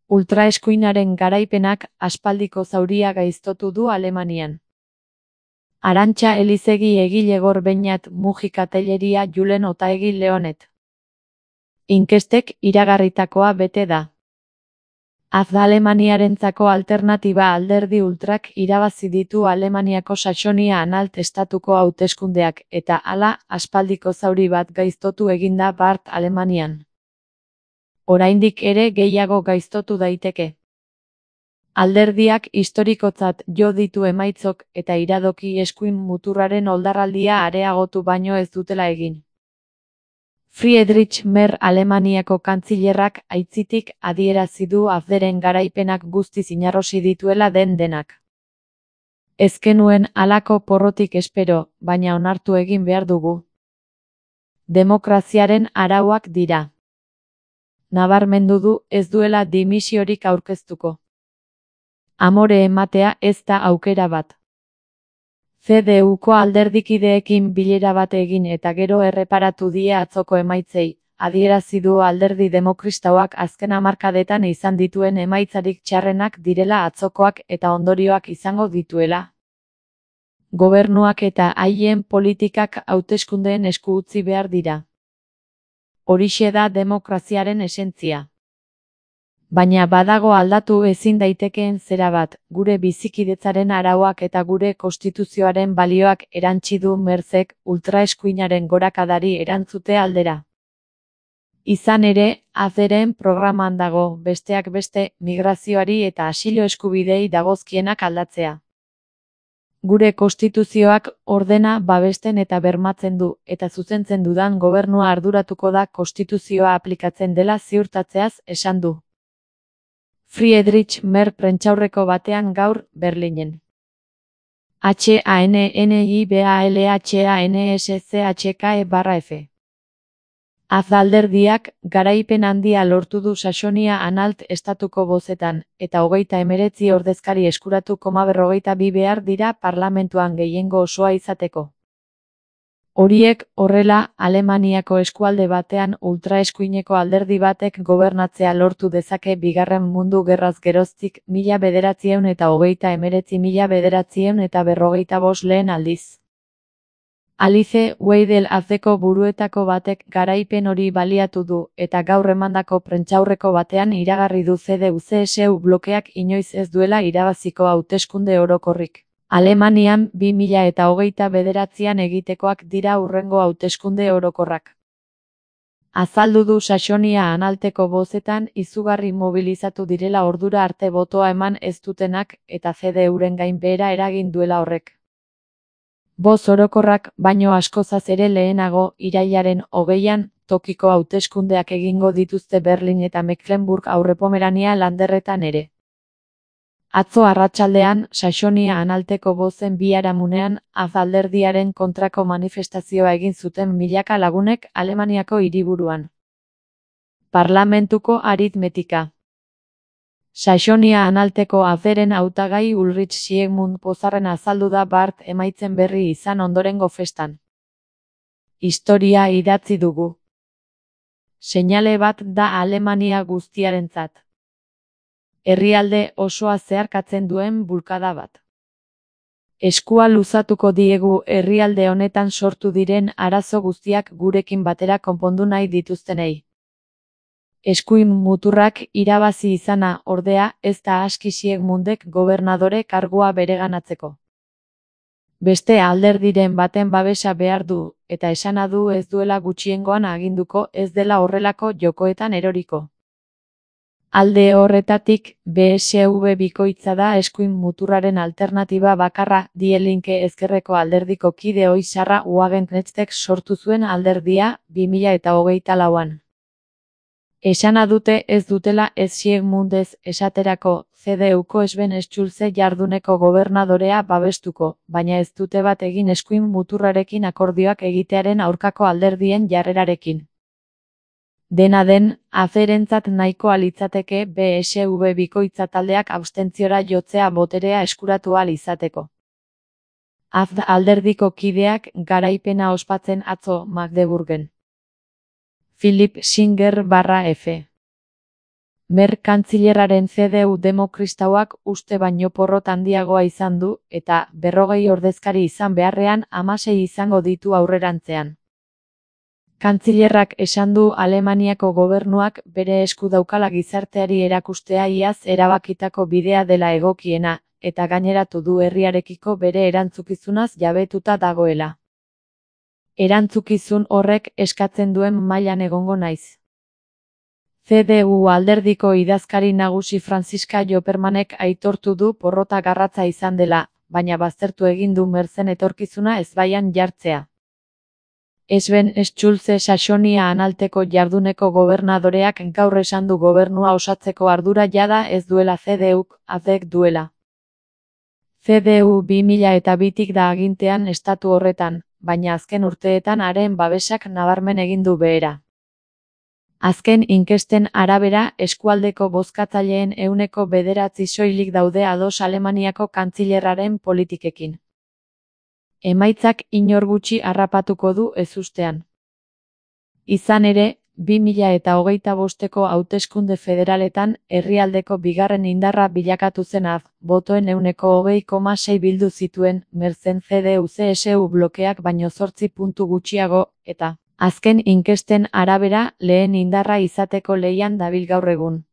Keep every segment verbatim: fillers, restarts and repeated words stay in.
Ultraeskuinaren garaipenak aspaldiko zauria gaiztotu du Alemanian. Arantxa Elizegi egile Gor Beñat Mujika Telleria Julen Otaegi Leonet. Inkestek iragarritakoa bete da. Az Alemaniarentzako alternatiba alderdi ultrak irabazi ditu Alemaniako Saxonia-Anhalt estatuko hauteskundeak eta hala aspaldiko zauri bat gaiztotu eginda bart Alemanian. Oraindik ere gehiago gaiztotu daiteke. Alderdiak historikotzat jo ditu emaitzok eta iradoki eskuin muturraren oldarraldia areagotu baino ez dutela egin. Friedrich Merz Alemaniako kantzilerrak aitzitik adierazi du Abwehren garaipenak guztiz inarrosi dituela den denak. Ez genuen halako porrotik espero, baina onartu egin behar dugu. Demokraziaren arauak dira. Nabarmendu du ez duela dimisiorik aurkeztuko. Amore ematea ez da aukera bat. C D Uko alderdikideekin bilera bat egin eta gero erreparatu die atzoko emaitzei, adierazi du alderdi demokrastauak azken hamarkadetan izan dituen emaitzarik txarrenak direla atzokoak eta ondorioak izango dituela. Gobernuak eta haien politikak hauteskundeen esku utzi behar dira. Horixe da demokraziaren esentzia. Baina badago aldatu ezin daitekeen zera bat, gure bizikidetzaren arauak eta gure konstituzioaren balioak erantsi du Merzek ultraeskuinaren gorakadari erantzute aldera. Izan ere, Abwehren programan dago, besteak beste, migrazioari eta asilo eskubidei dagozkienak aldatzea. Gure konstituzioak ordena babesten eta bermatzen du, eta zuzentzen dudan gobernua arduratuko da konstituzioa aplikatzen dela ziurtatzeaz esan du. Friedrich Merz prentsaurreko batean gaur, Berlinen. H A N N I B A L H A N S C H K E barra F. Az alderdiak garaipen handia lortu du Saxonia-Anhalt estatuko bozetan, eta hogeita hemeretzi ordezkari eskuratu koma berrogeita bi behar dira parlamentuan gehiengo osoa izateko. Horiek, horrela, Alemaniako eskualde batean ultraeskuineko alderdi batek gobernatzea lortu dezake Bigarren Mundu Gerraz geroztik mila bederatziehun eta hogeita hemeretzi mila bederatziehun eta berrogeita bost lehen aldiz. Alice Weidel Abwehko buruetako batek garaipen hori baliatu du, eta gaur emandako prentsaurreko batean iragarri du C D U C S U blokeak inoiz ez duela irabaziko hauteskunde orokorrik. Alemanian bi mila eta hogeita bederatzian egitekoak dira hurrengo hauteskunde orokorrak. Azaldu du Saxonia-Anhalteko bozetan izugarri mobilizatu direla ordura arte botoa eman ez dutenak eta C D Uren gainbehera eragin duela horrek. Boz orokorrak baino askozaz ere lehenago, irailaren hogeian, tokiko hauteskundeak egingo dituzte Berlin eta Mecklenburg Aurrepomerania landerretan ere. Atzo arratsaldean, Saxonia-Anhalteko bozen biharamunean, Az alderdiaren kontrako manifestazioa egin zuten milaka lagunek Alemaniako hiriburuan. Parlamentuko aritmetika. Saxonia-Anhalteko Abwehren hautagai Ulrich Siegmund pozarren azaldu da bart emaitzen berri izan ondorengo festan. Historia idatzi dugu. Seinale bat da Alemania guztiarentzat. Herrialde osoa zeharkatzen duen bulkada bat. Eskua luzatuko diegu herrialde honetan sortu diren arazo guztiak gurekin batera konpondu nahi dituztenei. Eskuin muturrak irabazi izana, ordea, ez da aski Siegmundek gobernadore kargua bereganatzeko. Beste alderdiren baten babesa behar du, eta esana du ez duela gutxiengoan aginduko ez dela horrelako jokoetan eroriko. Alde horretatik, B S V bikoitza da eskuin muturraren alternatiba bakarra, Die Linke ezkerreko alderdiko kide ohi Sarra Wagenknechtek sortu zuen alderdia, bi mila eta hogeita lauan. Esana dute ez dutela ez Siegmundez esaterako C D Uko Sven Schulze jarduneko gobernadorea babestuko, baina ez dute bat egin eskuin muturrarekin akordioak egitearen aurkako alderdien jarrerarekin. Dena den, Abwehrentzat nahikoa litzateke B S V bikoitza taldeak abstentziora jotzea boterea eskuratu ahal izateko. Az alderdiko kideak garaipena ospatzen atzo Magdeburgen. Philipp Singer barra F. Mer kantzilerraren C D U demokristauak uste baino porrot handiagoa izan du, eta berrogei ordezkari izan beharrean hamasei izango ditu aurrerantzean. Kantzilerrak esan du Alemaniako gobernuak bere esku daukala gizarteari erakustea iaz erabakitako bidea dela egokiena, eta gaineratu du herriarekiko bere erantzukizunaz jabetuta dagoela. Erantzukizun horrek eskatzen duen mailan egongo naiz. C D U alderdiko idazkari nagusi Franziska Jopermanek aitortu du porrota garratza izan dela, baina baztertu egin du Merzen etorkizuna ezbaian jartzea. Sven Schulze Saxonia-Anhalteko jarduneko gobernadoreak gaur esan du gobernua osatzeko ardura jada ez duela C D Uk, A Fek duela. C D U bi mila eta bitik da agintean estatu horretan, baina azken urteetan haren babesak nabarmen egin du behera. Azken inkesten arabera, eskualdeko bozkatzaileen ehuneko bederatzi soilik daude ados Alemaniako kantzilerraren politikekin. Emaitzak inor gutxi harrapatuko du ezustean. Izan ere, bi mila eta hogeita bosteko hauteskunde federaletan herrialdeko bigarren indarra bilakatu zen A F, botoen ehuneko hogei koma sei bildu zituen, Merzen C D U C S U blokeak baino zortzi puntu gutxiago, eta azken inkesten arabera, lehen indarra izateko lehian dabil gaur egun.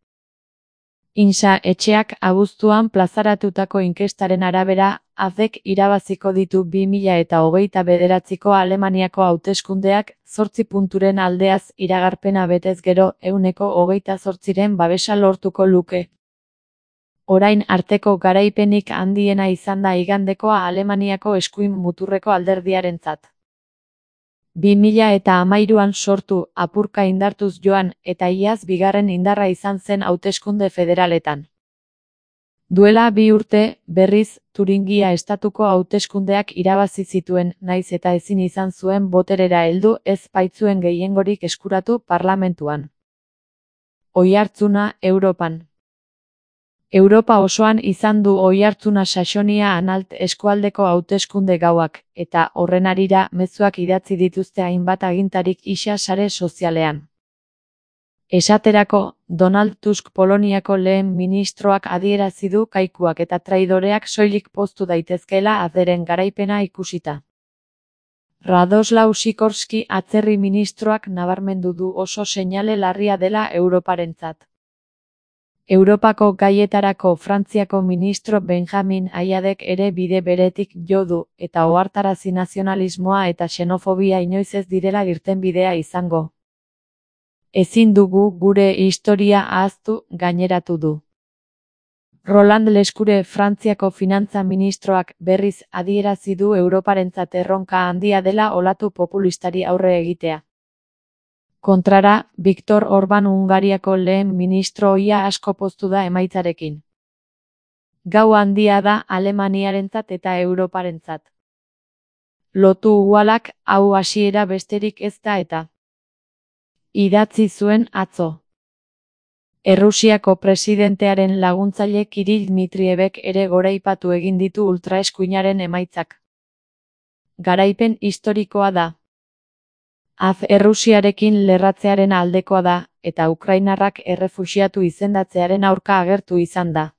Insa etxeak abuztuan plazaratutako inkestaren arabera, A Fek irabaziko ditu bi mila eta hogeita bederatziko Alemaniako hauteskundeak, zortzi punturen aldeaz iragarpena betez gero ehuneko hogeita zortziren babesa lortuko luke. Orain arteko garaipenik handiena izan da igandekoa Alemaniako eskuin muturreko alderdiarentzat. bi mila eta hamairuan sortu, apurka indartuz joan, eta iaz bigarren indarra izan zen hauteskunde federaletan. Duela bi urte, berriz, Turingia estatuko hauteskundeak irabazi zituen, naiz eta ezin izan zuen boterera heldu ez baitzuen gehiengorik eskuratu parlamentuan. Oihartzuna Europan. Europa osoan izan du oihartzuna Saxonia-Anhalt eskualdeko hauteskunde gauak, eta horren harira mezuak idatzi dituzte hainbat agintarik isa sare sozialean. Esaterako, Donald Tusk Poloniako lehen ministroak adierazi du kaikuak eta traidoreak soilik poztu daitezkeela Aferen garaipena ikusita. Radoslaw Sikorski atzerri ministroak nabarmendu du oso seinale larria dela Europarentzat. Europako gaietarako Frantziako ministro Benjamin Ayadek ere bide beretik jo du, eta ohartarazi nazionalismoa eta xenofobia inoiz ez direla irtenbidea izango. Ezin dugu gure historia ahaztu, gaineratu du. Roland Lescure Frantziako finantza ministroak berriz adierazi du Europarentzat erronka handia dela olatu populistari aurre egitea. Kontrara, Viktor Orban Hungariako lehen ministro ohia asko poztu da emaitzarekin. Gau handia da Alemaniarentzat eta Europarentzat. Lotu uhalak, hau hasiera besterik ez da eta. Idatzi zuen atzo. Errusiako presidentearen laguntzaile Kirill Dmitrievek ere goraipatu egin ditu ultraeskuinaren emaitzak. Garaipen historikoa da. A F Errusiarekin lerratzearen aldekoa da, eta ukrainarrak errefuxiatu izendatzearen aurka agertu izan da.